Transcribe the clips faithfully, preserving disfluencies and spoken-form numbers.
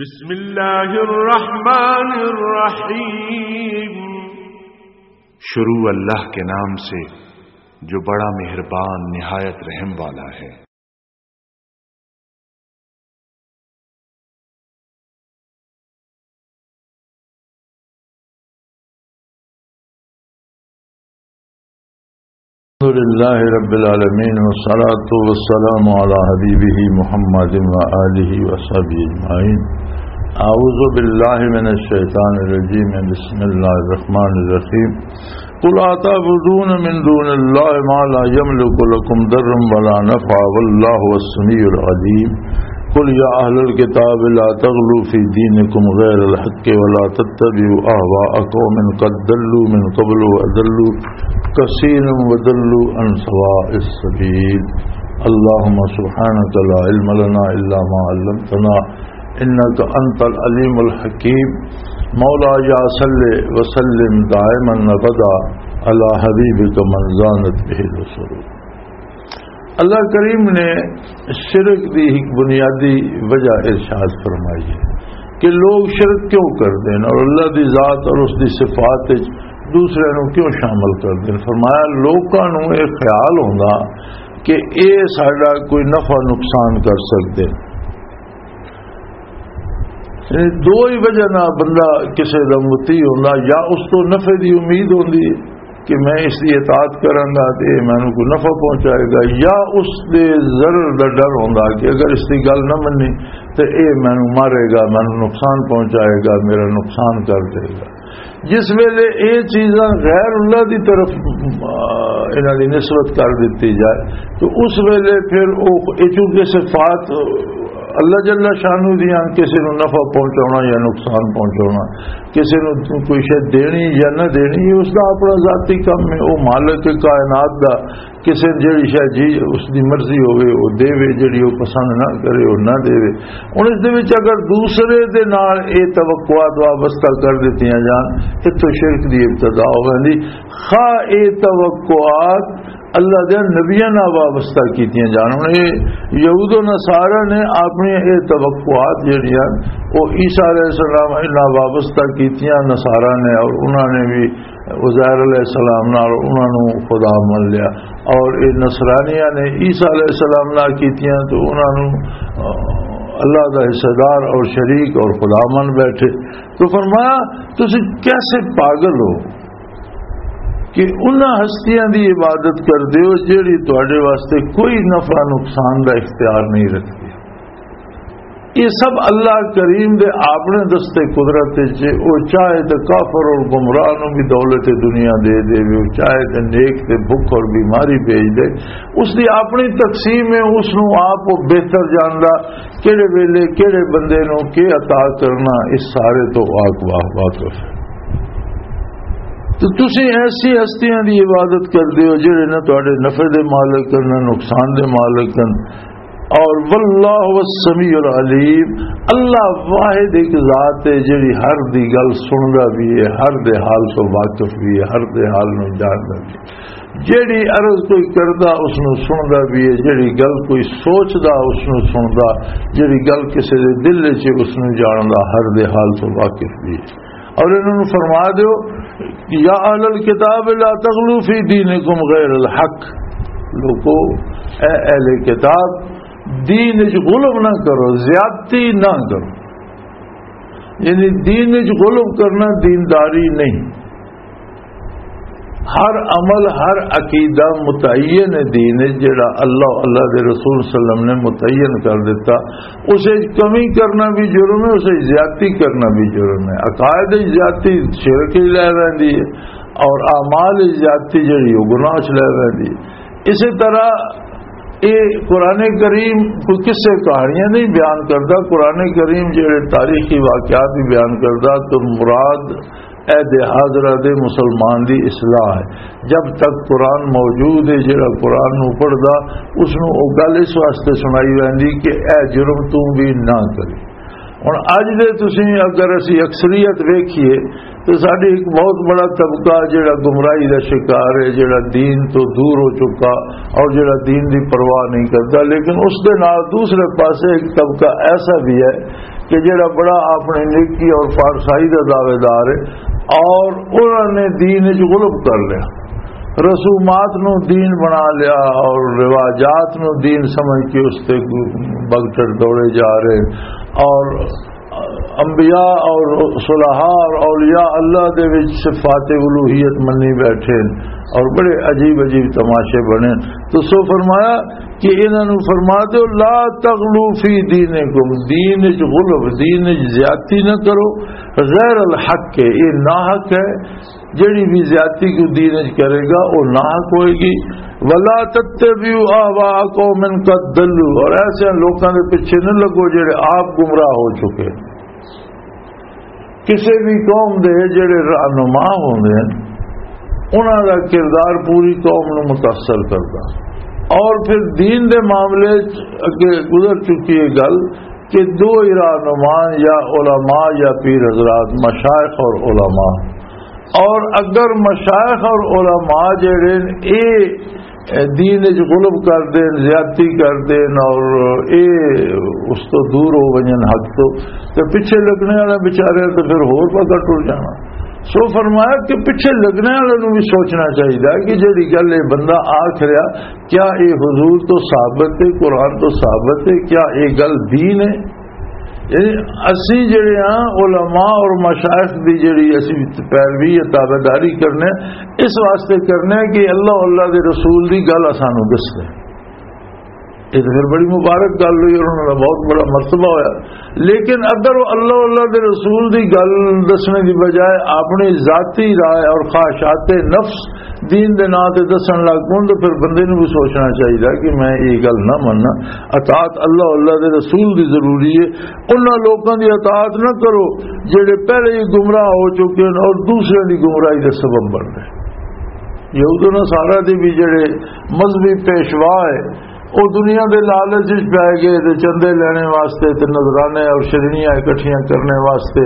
بسم اللہ الرحمن الرحیم۔ شروع اللہ کے نام سے جو بڑا مہربان، نہایت رحم والا ہے۔ الحمد لله رب العالمين، والصلاة والسلام على حبيبه محمد وآله وصحبه أجمعين. أعوذ بالله من الشيطان الرجيم. بسم الله الرحمن الرحيم. قل أتعبدون من دون الله ما لا يملك لكم ضرا ولا نفعا والله هو السميع العليم. قل يا أهل الكتاب لا تغلوا في دينكم غير الحق ولا تتبعوا أهواء قوم قد ضلوا من قبل وأضلوا كثيرا وضلوا عن سواء السبيل. اللهم سبحانك لا علم لنا إلا ما علمتنا إنك أنت العليم الحكيم. مولاي صل وسلم دائما أبدا على حبيبك من زانت به العصور. اللہ کریم نے شرک دی ایک بنیادی وجہ ارشاد فرمائی ہے کہ لوگ شرک کیوں کردے ہیں اور اللہ دی ذات اور اس دی صفات وچ دوسرے نوں کیوں شامل کردے ہیں۔ فرمایا، لوکاں نوں یہ خیال ہوندا کہ اے ساڈا کوئی نفع نقصان کر سکدے۔ یعنی دو ہی وجہ نال بندہ کسے دا مطیع ہوندا، یا اس تو نفع دی امید ہوندی ہے کہ میں اس دی اطاعت کراں گا تے اے مینوں کوئی نفع پہنچائے گا، یا اس دے ضرر دا ڈر ہوندا کہ اگر اس دی گل نہ مننی تے اے مینوں مارے گا، مینوں نقصان پہنچائے گا، میرا نقصان کر دے گا۔ جس ویلے اے چیزاں غیر اللہ دی طرف، آ، انہاں دی نسبت کر دتی جائے، تو اس ویلے پھر او، اے چونکہ صفات اللہ جل شانہ دیاں، کسے نوں نفع پہنچاونا یا نقصان پہنچاونا، کسے نوں کوئی شے دینی یا نہ دینی، اے اس دا اپنا ذاتی کم ہے۔ او مالک کائنات دا، کسے جڑی شے جی اس دی مرضی ہوے، او دیوے، جڑی او پسند نہ کرے، او نہ دیوے۔ ہن اس دے وچ اگر دوسرے دے نال اے توقعات وابستہ کر دتیاں جان، اتھوں شرک دی ابتدا ہو ویندی۔ خواہ اے توقعات اللہ دے نبیاں نال وابستہ کیتیاں جان۔ ہن اے یہود و نصارہ نے اپنی اے توقعات جڑیاں او عیسیٰ علیہ السلام نال وابستہ کیتیاں نصارہ نے، اور انہاں نے بھی عزیر علیہ السلام نال انہاں نوں خدا من لیا، اور اے نصرانیاں نے عیسیٰ علیہ السلام نال کیتیاں تو انہاں نوں، آ، اللہ دا حصہ دار اور شریک اور خدا من بیٹھے۔ تو فرمایا، تسی کیسے پاگل ہو کہ انہاں ہستیاں دی عبادت کردے ہو جڑی تواڈے واسطے کوئی نفع نقصان دا اختیار نہیں رکھدی؟ یہ سب اللہ کریم دے اپنے دستے قدرت وچ ہے۔ او چاہے تے کافر اور گمراہ نوں بھی دولت دنیا دے دے، او چاہے تے نیک تے بھوک اور بیماری بھیج دے، اس دی اپنی تقسیم ہے، اس نوں آپ او بہتر جاندا، کیڑے ویلے کیڑے بندے نوں کی عطا کرنا، اس سارے تو واق-، واہ-، واقف ہے۔ تو تسی ایسی ہستیاں دی عبادت کردے ہو جڑے نہ تواڈے نفع دے مالک ہن، نہ نقصان دے مالک ہن۔ اور واللہ هو السمیع العلیم، اللہ واحد ایک ذات ہے جڑی ہر دی گل سندا بھی ہے، ہر دے حال تو واقف بھی ہے، ہر دے حال نوں جاندا بھی ہے۔ جڑی عرض کوئی کردا اس نوں سندا بھی ہے، جڑی گل کوئی سوچدا اس نوں سندا، جڑی گل کسے دے دل وچ ہے اس نوں جاندا، ہر دے حال تو واقف بھی ہے۔ اور انہاں نوں فرما دیو، یا اہل الکتاب لا تغلوا فی دینکم غیر الحق، لوکو، اے اہل کتاب، دین وچ غلو نہ کرو، زیادتی نہ کرو۔ یعنی دین وچ غلو کرنا دینداری نہیں۔ ہر عمل، ہر عقیدہ متعین دین ہے، جڑا اللہ، اللہ دے رسول صلی اللہ علیہ وسلم نے متعین کر دیتا۔ اسے کمی کرنا بھی جرم ہے، اسے زیادتی کرنا بھی جرم ہے۔ عقائد وچ زیادتی شرک ہی لے ویندی ہے، اور اعمال وچ زیادتی جڑی وہ گناہ وچ لے ویندی ہے۔ اسی طرح یہ قرآن کریم کوئی قصے کہانیاں نہیں بیان کرتا۔ قرآن کریم جڑے تاریخی واقعات بھی بیان کرتا، تو مراد عہد حاضرہ دے مسلمان دی اصلاح ہے۔ جب تک قرآن موجود ہے، جڑا قرآن نو پڑھدا، اس نو او گل اس واسطے سنائی ویندی کہ اے جرم توں بھی نہ کرے۔ ہن اج دے تسی اگر اسی اکثریت ویکھیے تو ساڈی ایک بہت بڑا طبقہ جڑا گمراہی دا شکار ہے، جڑا دین تو دور ہو چکا اور جڑا دین دی پرواہ نہیں کرتا، لیکن اس دے نال دوسرے پاسے ایک طبقہ ایسا بھی ہے کہ جڑا بڑا اپنی نیکی اور پارسائی دا دعوے دار ہے، اور انہوں نے دین وچ غلب کر لیا، رسومات نو دین بنا لیا اور رواجات نو دین سمجھ کے اس تے بگٹر دوڑے جا رہے ہیں، اور انبیاء اور صلحاء اور اولیاء اللہ دے وچ صفات الوہیت منی بیٹھے ہیں اور بڑے عجیب عجیب تماشے بنے۔ تو سو فرمایا کہ انہاں نوں فرما دیو، "لا تغلو فی دینکم"، دین وچ غلو، دین وچ زیادتی نہ کرو، غیر الحق ہے، یہ ناحق ہے۔ جڑی بھی زیادتی کو دین وچ کرے گا، وہ ناحق ہوئے گی۔ "ولا تتبعوا اهواء قوم قد ضلوا"، اور ایسے لوکاں دے پیچھے نہ لگو جڑے آپ گمراہ ہو چکے۔ کسے بھی قوم دے جڑے رہنما ہوندے ہیں، انہاں دا کردار پوری قوم نوں متاثر کردا۔ اور پھر دین دے معاملے چ اگے گزر چکی ہے گل کہ دو ہی رہنما یا علماء یا پیر حضرات، مشائخ اور علماء۔ اور اگر مشائخ اور علماء جڑے نے، اے دین وچ غلب کر دین، زیادتی کر دین اور اے اس تو دور ہو ونجن حق تو، تے پیچھے لگنے والے بیچارے تے پھر ہور پکا ٹر جانا۔ سو فرمایا کہ پیچھے لگنے والے نوں بھی سوچنا چاہیے کہ جڑی گل یہ بندہ آکھ رہا، کیا یہ حضور تو ثابت ہے، قرآن تو ثابت ہے، کیا یہ گل دین ہے؟ یعنی اسی جڑے ہاں، علماء اور مشائخ دی جڑی اسی پیروی یا تابعداری کرنے، اس واسطے کرنے کہ اللہ، اللہ دے رسول دی گل اسانوں دسے۔ یہ تو پھر بڑی مبارک گل ہوئی اور انہاں دا بہت بڑا مرتبہ ہویا۔ لیکن اگر وہ اللہ، اللہ دے رسول دی گل دسنے دی بجائے اپنی ذاتی رائے اور خواہشات نفس دین دے نام تے دسن لگ پون، تو پھر بندے نوں بھی سوچنا چاہیے کہ میں یہ گل نہ مننا۔ اطاعت اللہ، اللہ دے رسول دی ضروری ہے۔ انہاں لوکاں دی اطاعت نہ کرو جڑے پہلے ہی گمراہ ہو چکے ہیں اور دوسرے دی گمراہی دا سبب بن رہے۔ یہود و نصارہ دے بھی جڑے مذہبی پیشوا ہے، وہ دنیا دے لالچ وچ پے گئے تے چندے لینے واسطے تے نذرانے اور شرنیاں اکٹھیاں کرنے واسطے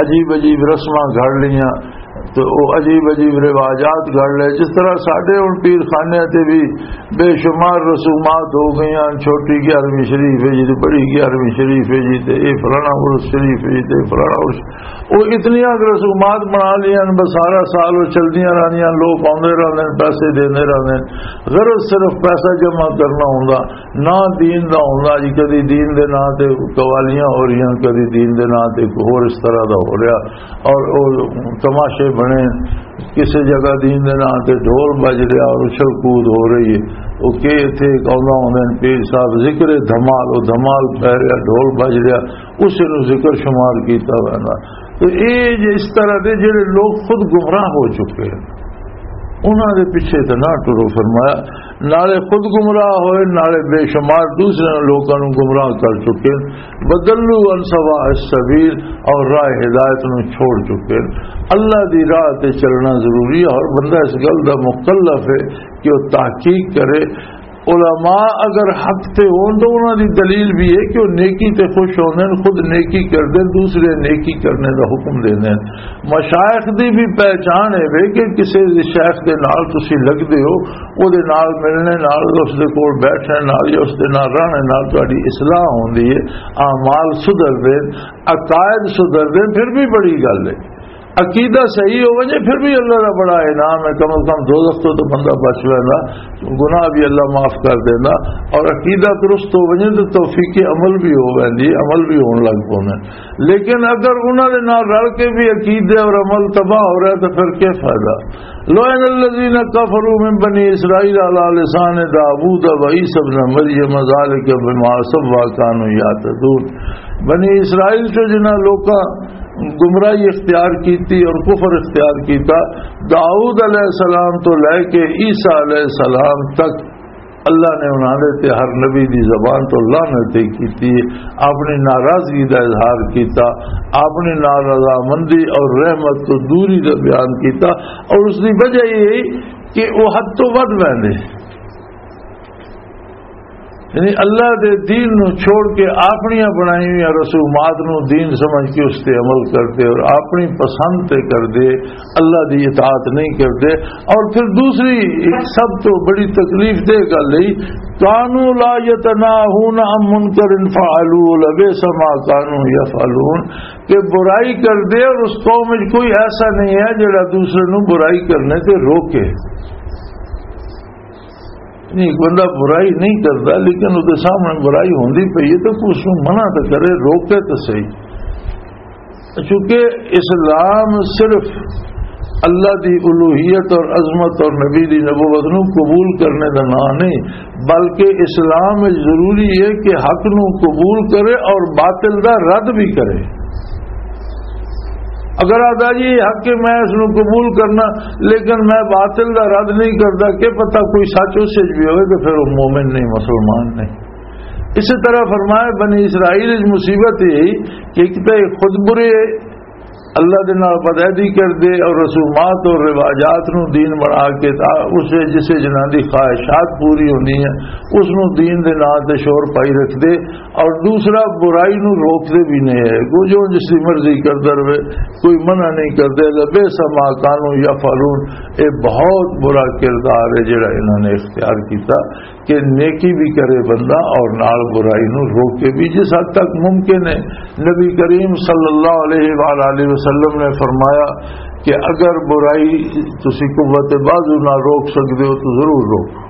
عجیب عجیب رسماں گھڑ لیاں۔ تو وہ عجیب عجیب رواجات گھڑ لے، جس طرح ساڈے ہن پیر خانے تے بھی بے شمار رسومات ہو گئیاں، چھوٹی گیارہویں شریف ہے جی، تے بڑی گیارہویں شریف ہے جی، تے اے فلانا عرس شریف ہے جی، تے اے فلانا عرس، وہ اتنیاں رسومات بنا لیاں، بس سارا سال وہ چلدیاں رہندیاں، لوگ آندے رہندے نے، پیسے دیندے رہندے نے۔ غرض صرف پیسہ جمع کرنا ہوندا، نہ دین دا ہوندا جی۔ کدی دین دے ناں تے قوالیاں ہو رہیاں، کدی دین دے ناں تے کوئی ہور اس طرح دا ہو رہا، اور او تماشے بنے، کسے جگہ دین دے ناں تے ڈھول بج رہا اور اچھل کود ہو رہی ہے۔ او کہ اتھے ایک آندا ہوندے نے پیر صاحب، ذکر دھمال، او دھمال پہ رہا، ڈھول بج رہا، اسے نوں ذکر شمار کیتا ویندا۔ تو اے جے اس طرح دے جڑے لوگ خود گمراہ ہو چکے ہیں، انہاں دے پیچھے تے نہ ٹرو، فرمایا، نالے خود گمراہ ہوئے، نالے بے شمار دوسرے لوکاں نوں گمراہ کر چکے ہیں۔ بدلو عن سواء السبیل، اور راہ ہدایت نوں چھوڑ چکے ہیں۔ اللہ دی راہ تے چلنا ضروری ہے، اور بندہ اس گل دا مکلف ہے کہ وہ تحقیق کرے۔ علماء اگر حق تے ہون تو انہاں دی دلیل بھی ہے کہ وہ نیکی تے خوش ہوندے ہیں، خود نیکی کردے ہیں، دوسرے نیکی کرنے دا حکم دیندے ہیں۔ مشائخ دی بھی پہچان ہے وے کہ کسے دے شیخ دے نال تسی لگدے ہو، او دے نال ملنے نال، اس دے کول بیٹھنے نال یا اس دے نال رہنے نال تہاڈی اصلاح ہوندی ہے، اعمال سدھردے، عقائد سدھردے، پھر بھی بڑی گل ہے۔ عقیدہ صحیح ہو ونجے، پھر بھی اللہ دا بڑا انعام ہے، کم از کم دوزخ تو تو بندہ بچ ویندا، گناہ بھی اللہ معاف کر دیندا، اور عقیدہ درست ہو ونجے تو توفیق عمل بھی ہو ویندی، عمل بھی ہون لگ پوندا۔ لیکن اگر انہاں دے نال رل کے بھی عقیدے اور عمل تباہ ہو رہا ہے تو پھر کیا فائدہ؟ لعن الذین کفروا من بنی اسرائیل علی لسان داوود و عیسی ابن مریم ذالک بما عصوا و کانوا یعتدون۔ بنی اسرائیل چ جنہاں لوکاں گمراہی اختیار کیتی اور کفر اختیار کیتا، داؤد علیہ السلام تو لے کے عیسیٰ علیہ السلام تک اللہ نے انہاں دے تے ہر نبی دی زبان تو لعنت ہی کیتی ہے، اپنی ناراضگی دا اظہار کیتا، اپنی نارضامندی اور رحمت تو دوری دا بیان کیتا، اور اس دی وجہ یہ ہے کہ وہ حد تو ود ویندے۔ یعنی اللہ دے دین نو چھوڑ کے اپنیاں بنائی ہوئی رسومات نو دین سمجھ کے اس تے عمل کردے اور اپنی پسند تے کردے، اللہ دی اطاعت نہیں کردے۔ اور پھر دوسری ایک سب تو بڑی تکلیف دہ گل ہے، "کانوا لا یتناہون عن منکر فعلوا لبئس ما کانوا یفعلون"، کہ برائی کردے اور اس قوم وچ کوئی ایسا نہیں ہے جڑا دوسرے نو برائی کرنے تے روکے۔ نہیں، ایک بندہ برائی نہیں کرتا، لیکن اس کے سامنے برائی ہوندی پئی ہے تو اس کو منع تو کرے، روکے تو صحیح۔ چونکہ اسلام صرف اللہ دی الوہیت اور عظمت اور نبی دی نبوت نو قبول کرنے دا نام نہیں، بلکہ اسلام وچ ضروری ہے کہ حق نو قبول کرے اور باطل دا رد بھی کرے۔ اگر آدھا جی یہ حق ہے، میں اس نو قبول کرنا، لیکن میں باطل دا رد نہیں کرتا، کہ پتہ کوئی سچ اس وچ بھی ہوئے تو پھر وہ مومن نہیں، مسلمان نہیں۔ اسی طرح فرمایا، بنی اسرائیل وچ مصیبت یہی کہ ایک تو یہ خود برے، اللہ دے نال بدعہدی کردے اور رسومات اور رواجات نو دین بنا کے تا اس وچ جسے جنہاں دی خواہشات پوری ہوندی ہیں، اس نو دین دے نام تے شور پائی رکھدے، اور دوسرا برائی نو روک دے بھی نہیں ہے۔ وہ جو جس کی مرضی کردا رہے، کوئی منع نہیں کردے۔ لبئس ما کانوا یفعلون، یہ بہت برا کردار ہے جڑا انہوں نے اختیار کیتا کہ نیکی بھی کرے بندہ اور نال برائی نو روکے بھی، جس حد تک ممکن ہے۔ نبی کریم صلی اللہ علیہ وآلہ وسلم نے فرمایا کہ اگر برائی تسی قوت بازو نہ روک سکتے ہو تو ضرور روکو،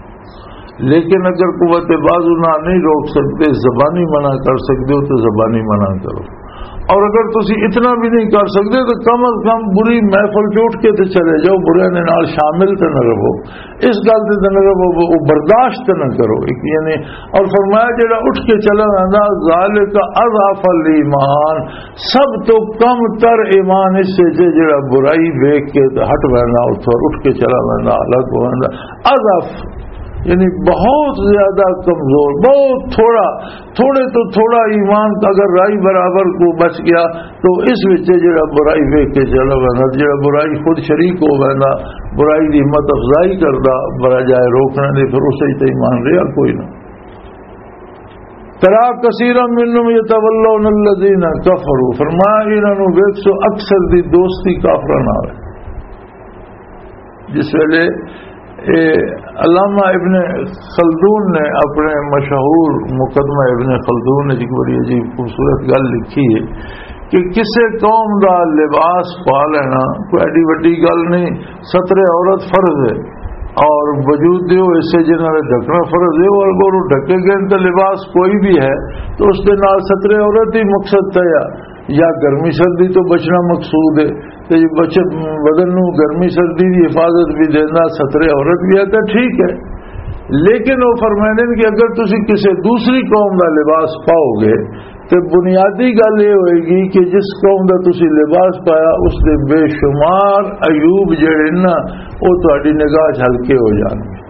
لیکن اگر قوت بازو نہ نہیں روک سکتے، زبانی منع کر سکتے ہو تو زبانی منع کرو۔ اور اگر تسی اتنا بھی نہیں کر سکتے تو کم از کم بری محفل چ اٹھ کے تے چلے جاؤ، برے دے نال شامل تے نہ رہو، اس گل تے تے نہ رہو، وہ برداشت تے نہ کرو۔ ایک یعنی، اور فرمایا جڑا اٹھ کے چلا ویندا، ذالک اضعف الایمان، سب تو کم تر ایمان اس سے جے جڑا برائی ویکھ کے تے ہٹ ویندا، اتھوں اٹھ کے چلا ویندا، الگ ہو ویندا۔ اضعف یعنی بہت زیادہ کمزور، بہت تھوڑا، تھوڑے تو تھوڑا ایمان کا اگر رائی برابر کو بچ گیا تو اس وچ جڑا برائی ویکھ کے چلا ویندا، جڑا برائی خود شریک ہو ویندا، برائی دی ہمت افزائی کردا، برا جائے روکنے دے، پھر اسے تے ایمان رہیا کوئی نہ۔ ترا کثیرا منهم یتولون الذین کفروا، فرمایا انہاں نوں ویکھ سو اکثر دی دوستی کافراں نال ہے۔ جس ویلے اے علامہ ابن خلدون نے اپنے مشہور مقدمہ ابن خلدون نے ایک بڑی عجیب خوبصورت گل لکھی ہے کہ کسے قوم دا لباس پا لینا کوئی ایڈی وڈی گل نہیں، ستر عورت فرض ہے اور وجود دے وہ حصے جنہاں نے ڈھکنا فرض ہے، اور اگر وہ ڈھکے گئے تو لباس کوئی بھی ہے تو اس دے نال ستر عورت ہی مقصد تھا، یا گرمی سردی تو بچنا مقصود ہے، تے بچ-، بدن نو گرمی سردی دی حفاظت بھی دینا، سترے عورت بھی ہے تو ٹھیک ہے۔ لیکن وہ فرمائیں کہ اگر تسی کسی دوسری قوم دا لباس پاؤ گے تو بنیادی گل یہ ہوئے گی کہ جس قوم دا تسی لباس پایا اس دے بے شمار عیوب جڑے نا، وہ تہاڈی نگاہ چ ہلکے ہو جان گے۔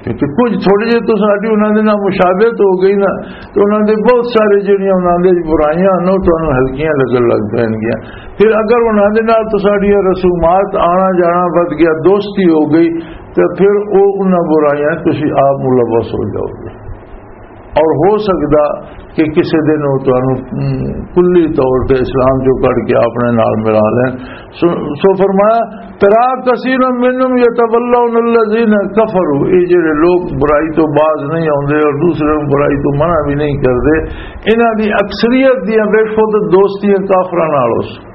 کیونکہ کچھ تھوڑے جے تو ساڈی انہاں دے نال مشابہت ہو گئی نا، تو انہاں دے بہت سارے جڑیاں انہاں دے برائیاں نو تانوں ہلکیاں لگن لگ پین گیاں۔ پھر اگر انہاں دے نال تو ساڈیاں رسومات، آنا جانا ود گیا، دوستی ہو گئی، تو پھر او انہاں برائیاں تسی آپ ملوث ہو جاؤ گے۔ اور ہو سکدا کہ کسی دن وہ تانوں، ام، کلی طور تے اسلام چوں کڈ کے اپنے نال ملا لین۔ سو، سو فرمایا، "ترا کثیرا منهم یتولون الذین کفروا"، یہ جڑے لوگ برائی تو باز نہیں آتے اور دوسرے نوں برائی تو منع بھی نہیں کرتے، انہاں دی اکثریت دیاں ویکھو تے دوستیاں کافراں نال ہو سن۔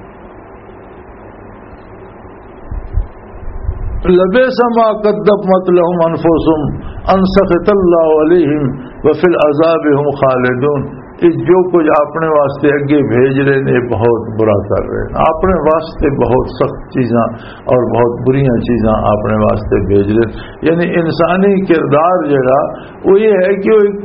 لبئس ما قدمت لهم انفسهم ان سخط اللہ علیہم وفی العذاب هم خالدون۔ یہ جو کچھ اپنے واسطے اگے بھیج رہے ہیں، یہ بہت برا کر رہے ہیں، اپنے واسطے بہت سخت چیزاں اور بہت بریاں چیزاں اپنے واسطے بھیج رہے ہیں۔ یعنی انسانی کردار جڑا وہ یہ ہے کہ وہ ایک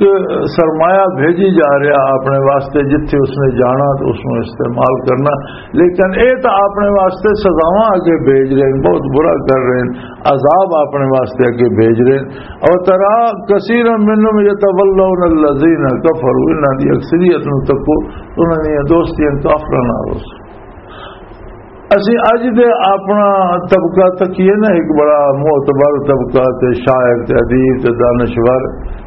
سرمایہ بھیجی جا رہا اپنے واسطے، جتھے اس نے جانا تو اس میں استعمال کرنا، لیکن اے تو اپنے واسطے سزاواں اگے بھیج رہے ہیں، بہت برا کر رہے ہیں، عذاب اپنے واسطے اگے بھیج رہے ہیں۔ اور ترا کثیرا منهم یتولون الذین کفروا، انہاں دی اکثریت نوں تکو، انہاں دی دوستیاں کافراں نال ہو سن۔ اسی اج دے اپنا طبقہ تکیے نا، ایک بڑا معتبر طبقہ تے شاعر تے ادیب تے دانشور،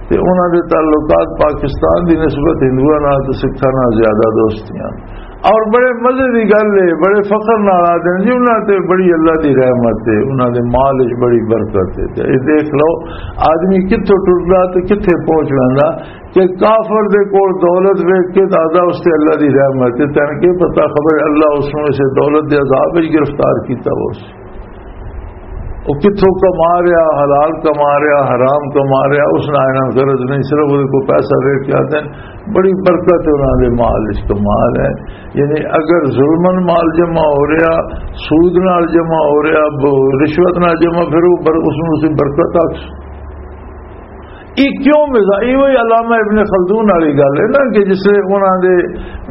تے انہاں دے تعلقات پاکستان دی نسبت ہندوؤں نال تے سکھاں نال زیادہ دوستیاں۔ اور بڑے مزے دی گل ہے، بڑے فخر نال آدھے نے جی، انہاں تے بڑی اللہ دی رحمت ہے، انہاں دے مال وچ بڑی برکت ہے۔ تے اے دیکھ لو، آدمی کتھوں ٹردا تے کتھے پہنچ ویندا، کہ کافر دے کول دولت ویکھ کے دادا اس تے اللہ دی رحمت ہے۔ تینوں کی پتہ، خبر اللہ اس نوں اسے دولت دے عذاب وچ گرفتار کیتا ہو۔ وہ کتھوں کما رہا، حلال کما رہا، حرام کما رہا، اس نال انہاں غرض نہیں، صرف وہ کو پیسہ ویکھ کے آتے ہیں۔ بڑی برکت ہے انہاں دے مال وچ، کمال ہے۔ یعنی اگر ظلمن مال جمع ہو رہا، سود نال جمع ہو رہا، ب-، رشوت نال جمع، پھر وہ بر-، اس نوں اسی برکت آکھ۔ یہ کیوں مزاج؟ یہ وہی علامہ ابن خلدون والی گل ہے نا، کہ جس لئے انہاں دے،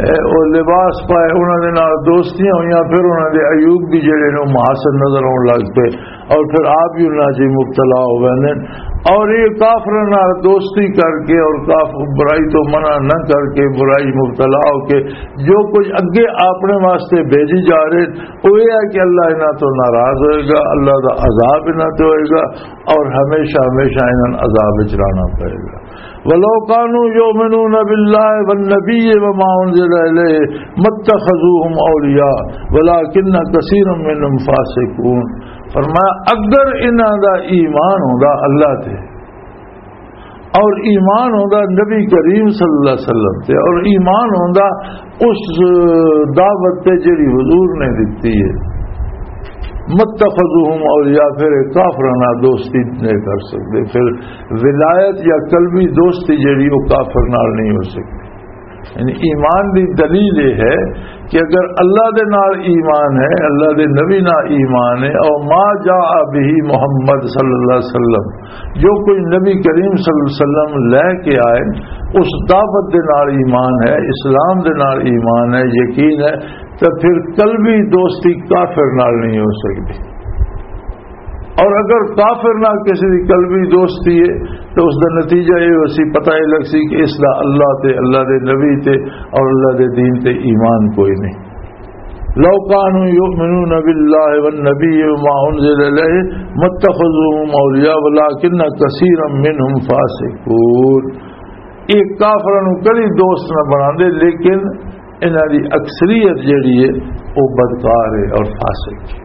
اے، او لباس پائے، انہاں دے نال دوستیاں ہوئیاں، پھر انہاں دے عیوب بھی جڑے نے، محاسن نظر آن لگ پے، اور پھر آپ بھی انہاں چ مبتلا ہو گئے نے۔ اور یہ کافراں نال دوستی کر کے اور کافر برائی تو منع نہ کر کے، برائی مبتلا ہو کے، جو کچھ اگے اپنے واسطے بھیجی جا رہے، وہ یہ ہے کہ اللہ انہاں تو ناراض ہوئے گا، اللہ دا عذاب انہاں تے ہوئے گا، اور ہمیشہ ہمیشہ انہاں نوں عذاب وچ رہنا پئے گا۔ ولو کانوا یؤمنون باللہ والنبی وما انزل الیہ متخذوہم اولیاء ولکن کثیرا منہم فاسقون۔ فرمایا، اگر انہاں دا ایمان ہوندا اللہ تے، اور ایمان ہوندا نبی کریم صلی اللہ علیہ وسلم تے، اور ایمان ہوندا اس دعوت تے جڑی حضور نے دتی ہے، متخذوہم اولیاء، پھر یہ کافراں نال دوستی نہیں کر سکتے، پھر ولایت یا قلبی دوستی جڑی وہ کافر نال نہیں ہو سکتی۔ یعنی ایمان دی دلیل یہ ہے کہ اگر اللہ دے نال ایمان ہے، اللہ دے نبی نال ایمان ہے، اور ما جاء به محمد صلی اللہ علیہ وسلم، جو کوئی نبی کریم صلی اللہ علیہ وسلم لے کے آئے، اس دعوت دے نال ایمان ہے، اسلام دے نال ایمان ہے، یقین ہے، تو پھر قلبی دوستی کافر نال نہیں ہو سکتی۔ اور اگر کافر نال کسی دی قلبی دوستی ہے، تو اس دا نتیجہ یہ ہو سی، پتہ یہ لگ سی کہ اس دا اللہ تے، اللہ دے نبی تے اور اللہ دے دین تے ایمان کوئی نہیں۔ لو کانوا یؤمنون باللہ والنبی وما انزل الیہ متخذوہم اولیاء ولکن کثیرا منہم فاسقون۔ یہ کافراں نوں کدی دوست نہ بناندے، لیکن انہاں دی اکثریت جڑی ہے، وہ بدکار ہے اور فاسق ہے۔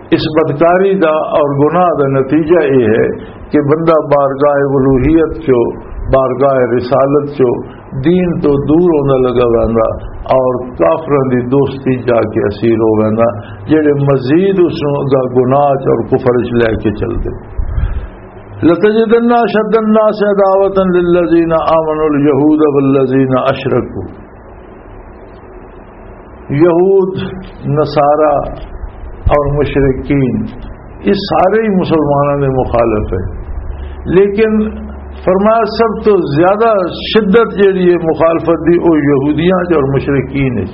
اس بدکاری دا اور گناہ دا نتیجہ یہ ہے کہ بندہ بارگاہ الوہیت چو، بارگاہ رسالت چو، دین تو دور ہوندا لگا ویندا اور کافراں دی دوستی جا کے اسیر ہو ویندا، جڑے مزید اس نوں اگا گناہ چ اور کفر چ لے کے چلدے۔ لتجدن اشد الناس عداوة للذین آمنوا الیہود والذین اشرکوا۔ یہود، نصارہ اور مشرکین، یہ سارے ہی مسلمانوں دے مخالف ہیں، لیکن فرمایا سب تو زیادہ شدت جڑی ہے مخالفت دی، وہ یہودیاں چ اور مشرکین چ۔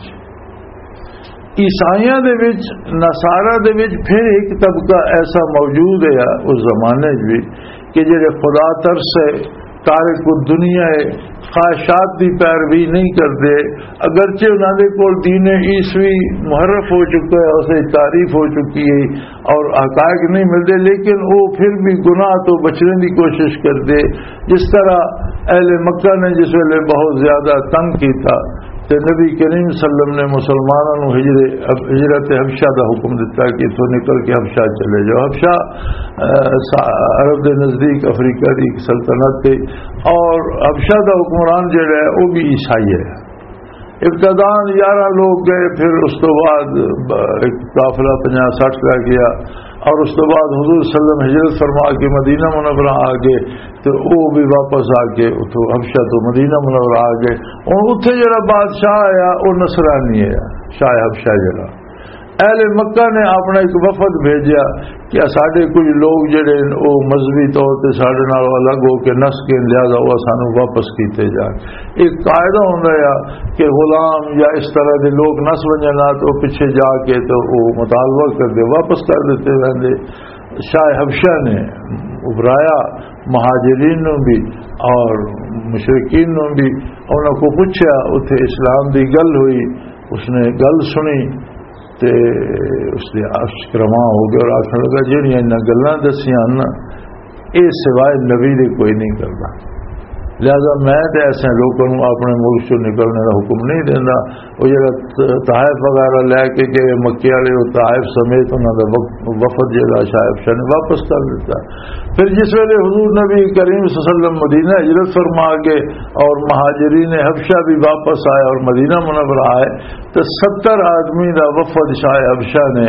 عیسائیاں دے وچ، نصارہ دے وچ پھر ایک طبقہ ایسا موجود ہے اس زمانے وچ بھی کہ جڑے خدا ترس ہے، تارک الدنیا ہے، خواہشات دی پیروی نہیں کردے، اگرچہ انہاں دے کول دین عیسوی محرف ہو چکا ہے، اسے تعریف ہو چکی ہے اور حقائق نہیں ملدے، لیکن وہ پھر بھی گناہ تو بچنے دی کوشش کردے۔ جس طرح اہل مکہ نے جس ویلے بہت زیادہ تنگ کیتا، تے نبی کریم صلی اللہ علیہ وسلم نے مسلمانوں نوں ہجر-، ہجرت حبشہ دا حکم دتا کہ اتھوں نکل کے حبشہ چلے جاؤ۔ حبشہ، اہ، سا-، عرب دے نزدیک افریقہ دی ایک سلطنت تھی، اور حبشہ دا حکمران جڑا ہے، وہ بھی عیسائی ہے۔ ابتداءً یارہ لوگ گئے، پھر اس تو بعد ب-، ایک قافلہ پنجاہ سٹھ رہ گیا، اور اس تو بعد حضور صلی اللہ علیہ وسلم ہجرت فرما کے مدینہ منورہ آ گئے، تے او بھی واپس آ کے اتھوں حبشہ تو مدینہ منورہ آ گئے۔ ہن اتھے جڑا بادشاہ آیا، او نصرانی ہے، شاہ حبشہ جڑا۔ اہل مکہ نے اپنا ایک وفد بھیجیا کہ ساڈے کچھ لوگ جڑے نے، او مذہبی طور تے ساڈے نال الگ ہو کے نس گئے، لہذا او سانوں واپس کیتے جان۔ ایک قاعدہ ہوندا ہے کہ غلام یا اس طرح دے لوگ نس ونجن نہ تو پچھے جا کے تو او مطالبہ کر دے، واپس کر دیتے رہندے۔ شاہ حبشہ نے ابھرایا، مہاجرین نوں بھی اور مشرکین نوں بھی، انہاں کو پوچھا، اتھے اسلام دی گل ہوئی، اس نے گل سنی تے اس دے عرش رواں ہو گئے اور آکھن لگا، "جہڑیاں انہاں گلاں دسیاں نا، اے سوائے نبی دے کوئی نہیں کردا۔ لہذا میں تے ایسے لوکاں نوں اپنے ملک چوں نکلنے دا حکم نہیں دیندا۔ او جڑا ط-، طائف وغیرہ لے کے گئے، مکے والے، او طائف سمیت انہاں دا وف-، وفد جڑا شاہ حبشہ نے واپس کر دتا۔ پھر جس ویلے حضور نبی کریم صلی اللہ علیہ وسلم مدینہ ہجرت فرما گئے اور مہاجرین حبشہ بھی واپس آئے اور مدینہ منورہ آئے، تو ستر آدمی دا وفد شاہ حبشہ نے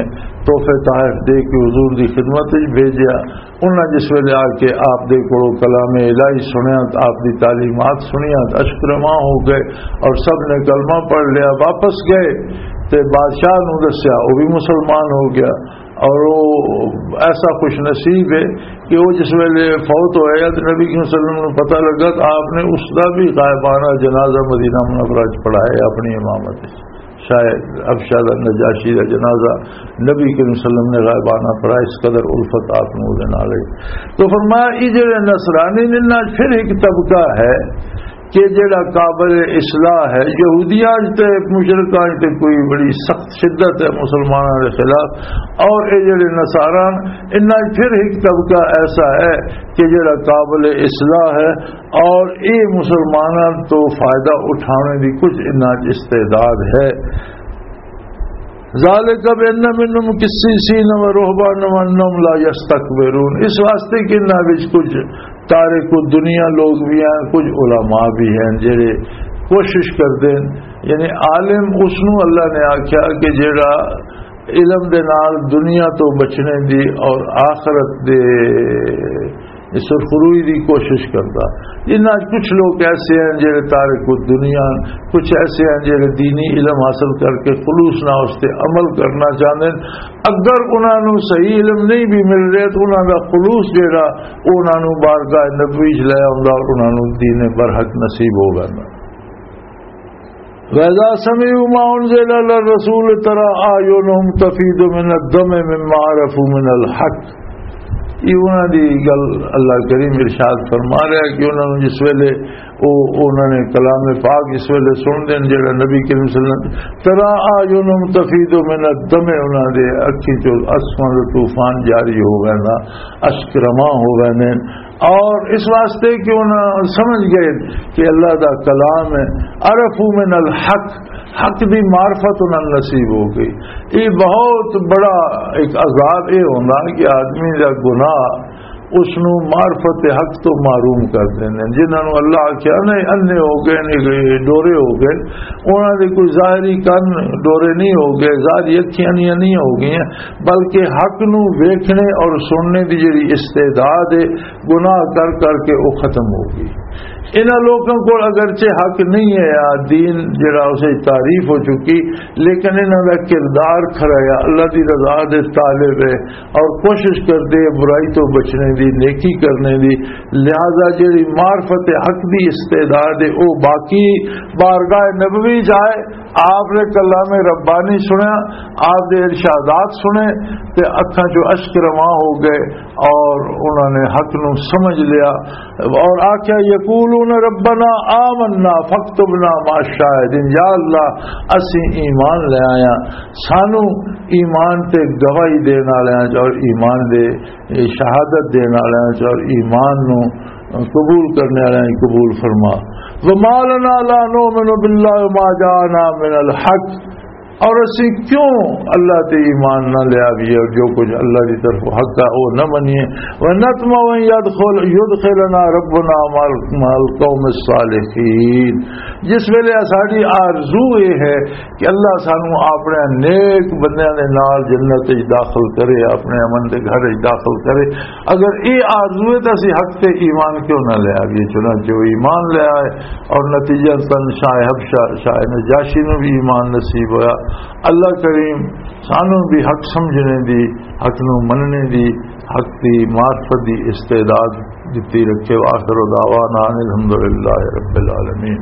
تحفے تحائف دے کے حضور دی خدمت وچ بھیجیا۔ انہاں جس ویلے آ کے آپ دے کولوں کلام الہی سنیا، آپ دی تعلیمات سنیا، اشک رواں ہو گئے اور سب نے کلمہ پڑھ لیا، واپس گئے تے بادشاہ نوں دسیا، وہ بھی مسلمان ہو گیا۔ اور وہ ایسا خوش نصیب ہے کہ وہ جس ویلے فوت ہوئے تو نبی کریم صلی اللہ علیہ وسلم نوں پتہ لگا تو آپ نے اس دا بھی غائبانہ جنازہ مدینہ منورہ وچ پڑھایا اپنی امامت وچ۔ شاید حبشہ دا نجاشی دا جنازہ نبی کریم صلی اللہ علیہ وسلم نے غائبانہ پڑھا، اس قدر الفت آپ نوں دے نال ہے۔ تو فرمایا، یہ جڑے نصرانی نے، انہاں پھر ایک طبقہ ہے کہ جڑا قابل اصلاح ہے۔ یہودیاں وچ تے مشرکاں وچ تے کوئی بڑی سخت شدت ہے مسلمانوں کے خلاف، اور یہ جڑے نصاران، انہاں وچ پھر ایک طبقہ ایسا ہے کہ جڑا قابل اصلاح ہے، اور یہ مسلمانوں تو فائدہ اٹھانے دی کچھ انہاں وچ استعداد ہے۔ ذالک بان منہم قسیسین و رہبان و انہم لا یستکبرون، اس واسطے کہ انہاں وچ کچھ تارک الدنیا لوگ بھی ہیں، کچھ علماء بھی ہیں جڑے کوشش کردے ہیں۔ یعنی عالم اس نوں اللہ نے آکھیا کہ جڑا علم دے نال دنیا تو بچنے دی اور آخرت دے سرخروئی دی کوشش کردا۔ انہاں وچ کچھ لوگ ایسے ہیں جڑے تارک الدنیا، کچھ ایسے ہیں جڑے دینی علم حاصل کر کے خلوص نہ اس تے عمل کرنا چاہندے ہیں۔ اگر انہاں نوں صحیح علم نہیں بھی مل رہا تو انہاں دا خلوص جڑا، او انہاں نوں بارگاہ نبوی وچ لے آوندا اور انہاں نوں دین برحق نصیب ہو ویندا۔ وَإِذَا سَمِعُوا مَا أُنزِلَ إِلَى الرَّسُولِ تَرَىٰ أَعْيُنَهُمْ تَفِيضُ مِنَ الدَّمْعِ مِمَّا عَرَفُوا مِنَ الْحَقِّ۔ یہ انہاں دی گل اللہ کریم ارشاد فرما رہا ہے کہ انہاں نوں جس ویلے او، انہاں نے کلام پاک اس ویلے سن دین جڑا نبی کریم صلی اللہ علیہ وسلم، تَرَىٰ أَعْيُنَهُمْ تَفِيضُ مِنَ الدَّمْعِ، انہاں دے اکھیں چوں اسماں دا طوفان جاری ہو گیا نا، اشک رواں ہو گئے نے۔ اور اس واسطے کہ انہاں سمجھ گئے کہ اللہ دا کلام ہے، عرفوا من الحق، حق دی معرفت انہاں نوں نصیب ہو گئی۔ یہ بہت بڑا ایک عذاب یہ ہوندا کہ آدمی دا گناہ اس نوں معرفت حق تو محروم کر دیندے۔ جنہاں نوں اللہ آکھیا نہیں، انے ہو گئے نے، ڈورے ہو گئے، انہاں دے کوئی ظاہری کن ڈورے نہیں ہو گئے، ظاہری اکھیاں نہیں، نہیں ہو گئیاں، بلکہ حق نوں ویکھنے اور سننے دی جڑی استعداد ہے، گناہ کر کر کے وہ ختم ہو گئی۔ انہاں لوکاں کول اگرچہ حق نہیں ہے، آ دین جڑا اسے تعریف ہو چکی، لیکن انہاں دا کردار کھرا ہے، اللہ دی رضا دے طالب ہے اور کوشش کردے ہیں برائی تو بچنے دی، نیکی کرنے دی۔ لہذا جڑی معرفت حق دی استعداد ہے، وہ باقی بارگاہ نبوی جائے، آپ نے کلام ربانی سنیا، آپ دے ارشادات سنے، تے اکھاں چوں اشک رواں ہو گئے اور انہوں نے حق نو سمجھ لیا۔ اور آکھیا، یقولون ربنا آمنا فاکتبنا مع الشاہدین، یا اللہ، اسی ایمان لے آیا، سانو ایمان تے گواہی دین والے اور ایمان دے، شہادت دین والے اور ایمان نو قبول کرنے والے قبول فرما۔ وما لنا لا نؤمن باللہ وما جاءنا من الحق، اور اسی کیوں اللہ تے ایمان نہ لیا بھی اور جو کچھ اللہ دی طرف حق ہے وہ نہ منیے۔ ونطمع ان يدخل، يدخلنا ربنا مع ال-، مع القوم الصالحین۔ جس ویلے ساڈی آرزو یہ ہے کہ اللہ سانو اپنے نیک بندیاں دے نال جنت وچ داخل کرے، اپنے امن دے گھر وچ داخل کرے، اگر یہ آرزو ہے تو اسی حق تے ایمان کیوں نہ لے آئیے؟ چنانچہ وہ ایمان لے آئے اور نتیجہ تن شاہ حبشہ، شاہ نجاشی نو بھی ایمان نصیب ہویا۔ اللہ کریم سانو بھی حق سمجھنے دی، حق نو مننے دی، حق دی معرفت دی استعداد دتی رکھے۔ وآخر دعوانا ان الحمدللہ رب العالمین۔